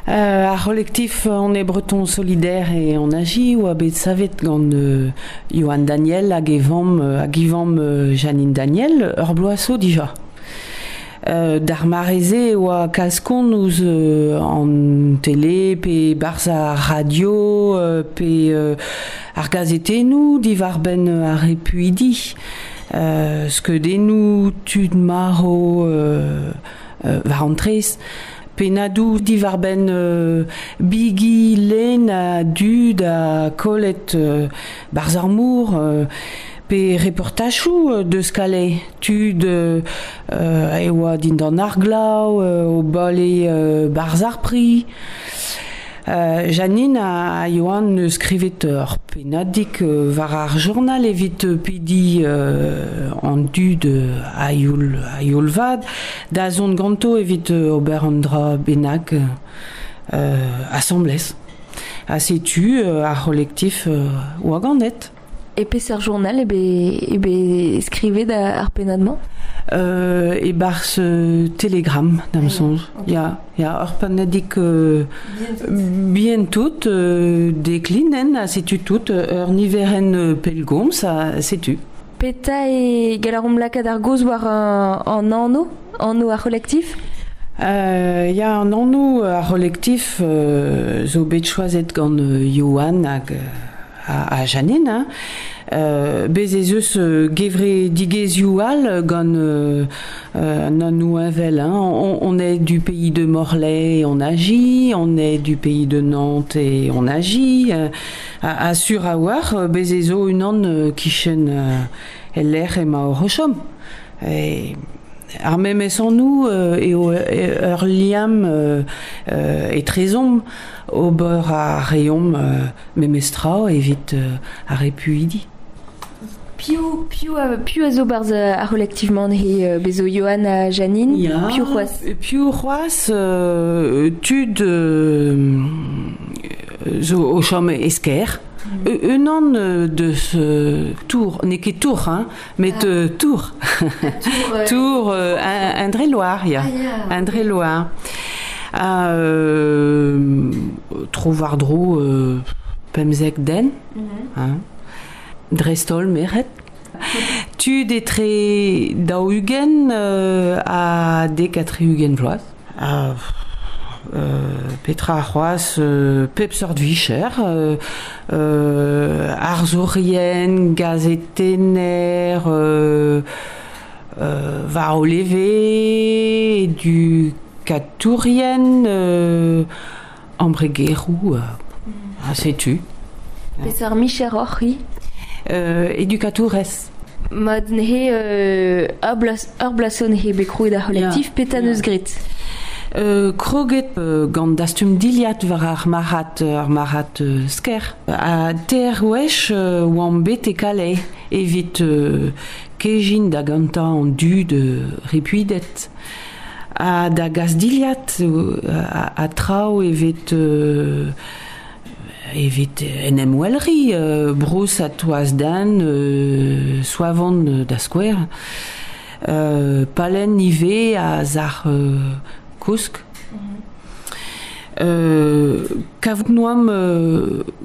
Ar c'holektif On est Breton Solidaire et on agit oa bet savet gant Johan Daniel hag e vamm hag e vamm Janine Daniel ur bloaz zo dija. D'ar mare-se e oa kalz kont ouzh an tele pe 'barzh ar radio pe ar gazetennoù diwar-benn ar repuidi. Skeudennoù tud marv war an traezh. Pennadoù diwar-benn bigi lenn a dud ha kollet 'barzh ar mor pe reportajoù deus Calais tud e oa dindan ar glav o bale 'barzh ar pri. Janine ha Yoann neus skrivet ur pennadig war ar journal evit pediñ an dud a-youl a-youl vat da zont ganto evit ober un dra bennak asambles. Ha setu ar c'holektif oa ganet. E peseurt journal eo bet, eo bet skrivet ar pennad-mañ? E-barzh Telegram, da'm soñj. Ya, ya, ur pennadig bihan-tout, deklinenn, ha setu tout, ur niverenn pellgomz, ha setu. Petra eo gall a raomp lakaat ar gaoz war an anv, anv ar c'holektif? Ya, an anv ar c'holektif zo bet choazet gant Yoann hag ha Janine, hein. Bez ez eus gevredigezhioù all gant an anv heñvel, hein. On est du pays de Morlaix et on agit, on est du pays de Nantes et on agit. Ha sur a-walc'h, bez ez zo unan kichen el lec'h emaoc'h o chom. Ar memes anv eo ur liamm etrezomp. Ober a reomp memestra evit ar repuidi. Piv, piv, a, piv a zo barzh ar c'holektiv-mañ he bezo Johan ha Janine? Ya, Piv c'hoazh? Piv c'hoazh tud zo o chom e Skaer. Unan deus Tours, n'eo ket Tours, hein, met Tours. Tours, Indre-et-Loire, ya. Indre-et-Loire. Ha tro-war-dro 15 den, hein. Dreist-holl merc'hed. Tud etre 40 ha 70 vloaz. Ha petra c'hoazh pep seurt vicher arzourien, gazetenner, war o leve, edukatourien, embregeroù, ha setu. Peseurt micher oc'h-c'hwi? Edukatourez. Mat neuze ur bloaz zo neuze bet krouet ar c'holektif, petra 'neus graet? Kroget gant dastum dilhad war ar marc'had, ar marc'had Skaer. Ha teir wech oamp bet e Calais evit kejin da gantañ an dud repuidet. Ha da gas dilhad ha traoù evit evit en em welriñ bros ha toaz-den, soavon da skouer. Palenn ivez a sac'h kousk. Kavout 'noamp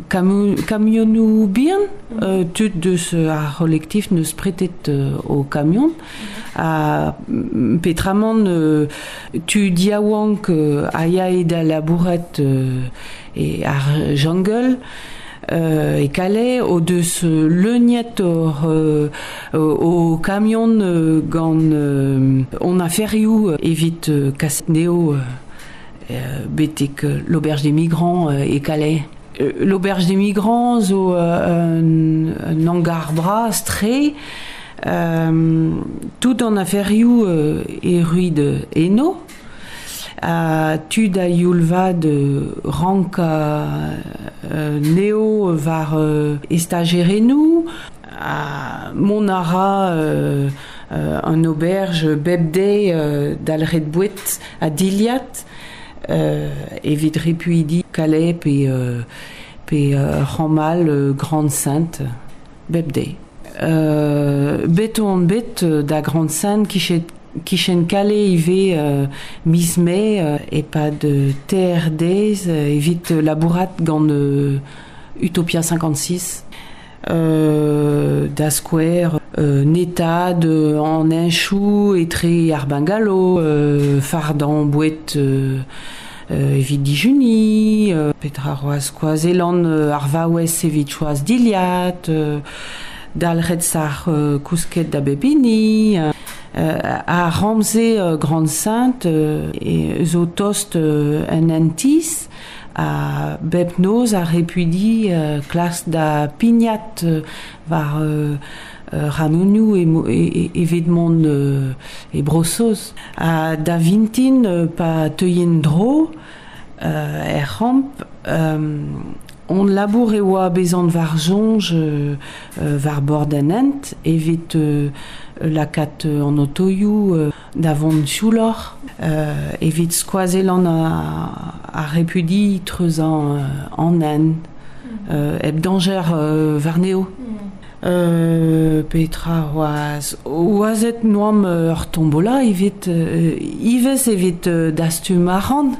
kamionoù bihan, tud deus ar c'holektif 'neus pretet o kamion. Ha petramant tud yaouank a yae da labourat e ar jungle e Calais o deus leuniet o kamion gant hon aferioù evit kas anezho betek l'auberge des migrants e Calais. L'auberge des migrants zo un hangar bras-tre tout an aferioù erruit eno. Ha tud a-youl vat rankañ anezho war estajerennoù ha mont a ra an auberge bep deiz dalc'het boued ha dilhad evit repuidi Calais pe pe Ramal Grande-Synthe bep deiz. Bet on bet da Grande-Synthe kichet. Kichen Calais ivez miz Mae e-pad teir deiz evit labourat gant Utopia 56. Da skouer netaat an heñchoù etre ar bungalow, fardañ boued evit dijuniñ, petra c'hoazh skoazellan ar vaouez evit choaz dilhad, dalc'het sac'h kousket da bep hini. Ar ramz-se Grande-Sainte zo tost un hent-tizh ha bep noz ar repuidi klask da pignat war ranonioù evit mont e Bro-Saoz. Ha da vintin pa teuint dro er c'hamp hon labour e oa bezan war soñj war bord an hent evit lakaat an otoioù da vont siouloc'h, evit skoazellañ ar repuidi treuzañ an hent hep dañjer warnezho. Petra c'hoazh? Oazet 'noamp ur tombola evit ivez evit dastum arc'hant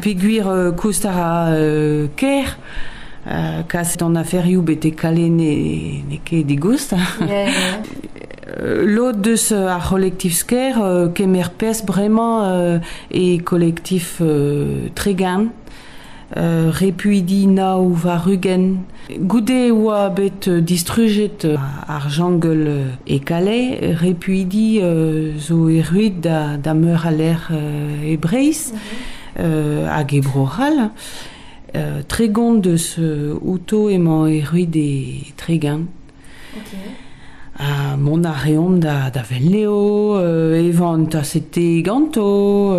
peogwir koust a ra ker kaset an aferioù betek Calais n'eo ket digoust. Lod deus ar c'holektif Skaer kemer perzh bremañ e kolektif Tregern. Repuidi nav war-ugent. Goude e oa bet distrujet ar jungle e Calais, repuidi zo erruet da meur a lec'h e Breizh hag e Bro-C'hall. 30 deus outo emañ erruet e Tregern. Ha mont a reomp da Velneo, evañ un taset te ganto,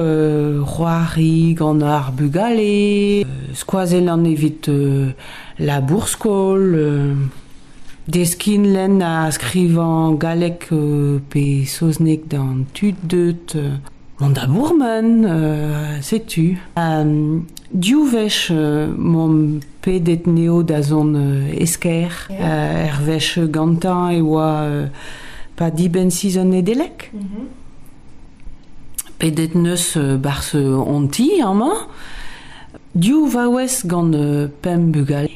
c'hoari gant ar bugale, skoazellañ evit labour-skol, deskiñ lenn ha skrivañ galleg pe saozneg d'an tud deuet. Mont da bourmen, setu. Div wech m'omp pedet 'neo da zont e Skaer. Er wech gantañ e oa pa dibenn sizhun Nedeleg. Pedet 'neus 'barzh hon ti amañ. Div vaouez gant pemp bugale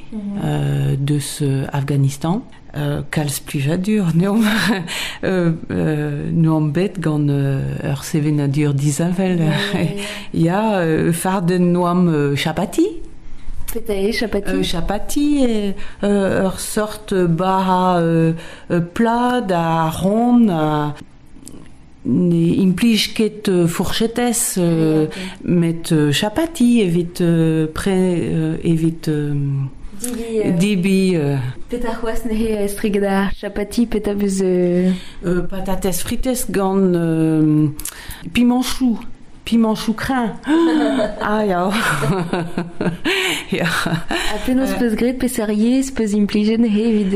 deus Afghanistan. Kalz plijadur n'eomp n'oamp bet gant ur sevenadur disheñvel. Ya, fardenn 'noamp chapati. Petra eo chapati? Chapati eo ur sort bara plat ha ront ha ne implij ket fourchetez met chapati evit pre evit debriñ. Petra c'hoazh neuze estreget ar chapati petra 'veus Patatez fritez gant pimañchoù pimañchoù kreñv. Ah ya. Ya. Ha penaos 'peus graet peseurt yezh 'peus implijet neuze evit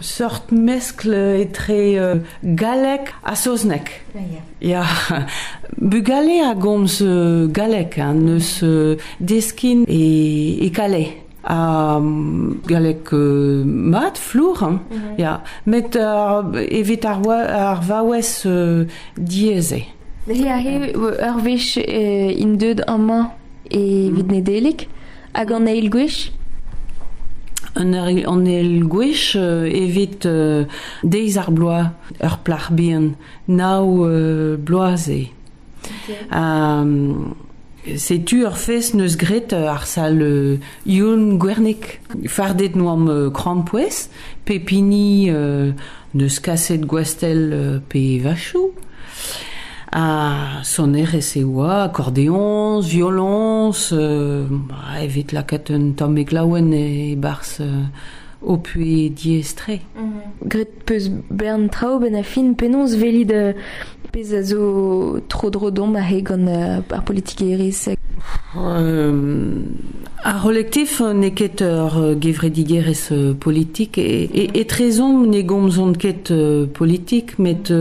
Seurt meskl etre galleg ha saozneg. Ya, bugale a gomz galleg, hein, n'eus deskin e Calais. Ha galleg mat, flour, hein, ya. Met evit ar vaouez diaes eo. Neuze aze ur wech int deuet amañ evit Nedeleg hag an eil gwech? An eil gwech evit deiz ar bloaz, ur plac'h bihan, nav bloaz eo. Setu ur fest 'neus graet ar sal Youn Gwernig. Fardet 'noamp krampouezh, pep hini 'neus kaset gwastell pe vachoù. Ha sonerezh e oa, akordeoñs, violoñs, evit lakaat un tammig laouen e-barzh ho puhez diaes-tre. Graet 'peus bern traoù 'benn ar fin, penaos 'welit pezh a zo tro-dro deomp aze gant ar politikerezh? Ar c'holektif n'eo ket ur gevredigezh politik. Etrezomp ne gomzont ket politik, met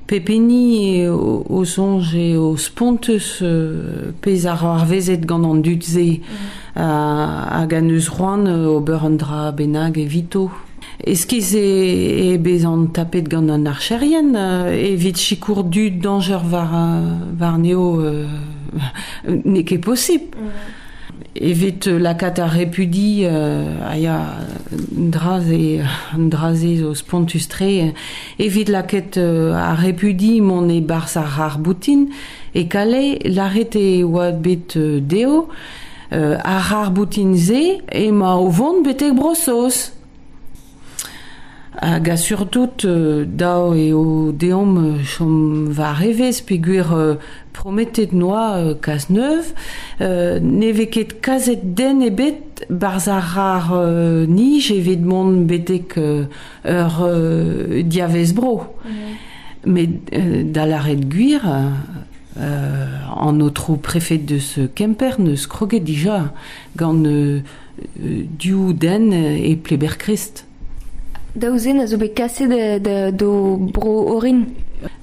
pep hini o soñj eo spontus pezh a c'hoarvezet gant an dud-se hag a neus c'hoant ober un dra bennak evito. Eskiz e, e bezan tapet gant an archerien evit sikour dud danger war, war neo n'eo ket posibl. Evit lakaat ar repudi a ya draze, draze zo spontus-tre, evit lakaat ar repudi mont e-barzh ar c'harr-boutin e Calais, lâret e oa bet dezho ar c'harr-boutin-se emañ o vont betek Bro-Saoz. Hag a-surtout dav eo deomp chom war evezh peogwir prometet 'noa Cazeneuve ne vez ket kaset den ebet 'barzh ar c'harr-nij evit mont betek ur diavaez-bro. Met da lâret gwir, an aotrou prefed deus Kemper 'neus kroget dija gant div den e Pleberkrist. Daou zen a zo bet kaset d'o bro orin.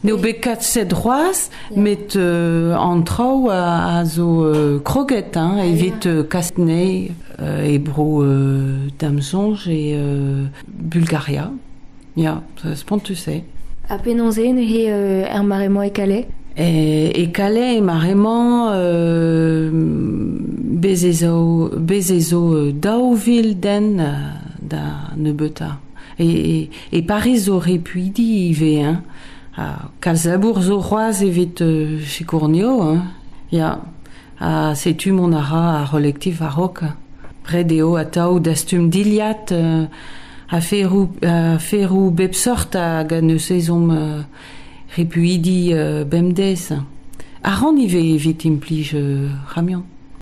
N'eo bet kaset c'hoazh, met an traoù a zo kroget hein, evit kas anezhe e bro da'm soñj e Bulgaria. Ya, spontus eo. Ha penaos eo neuze er mare-mañ e Calais? E Calais e mare-mañ bez ez zo bez ez zo 2000 den da nebeutañ. E, e Pariz zo repuidi ivez hein. Ha kalz labour zo c'hoazh evit sikour anezho hein. Ya. Ha setu mont a ra ar c'holektif a-raok. Ret eo atav dastum dilhad, aferoù, aferoù bep seurt hag neus ezhomm repuidi bemdez. A ran ivez evit implij ramion.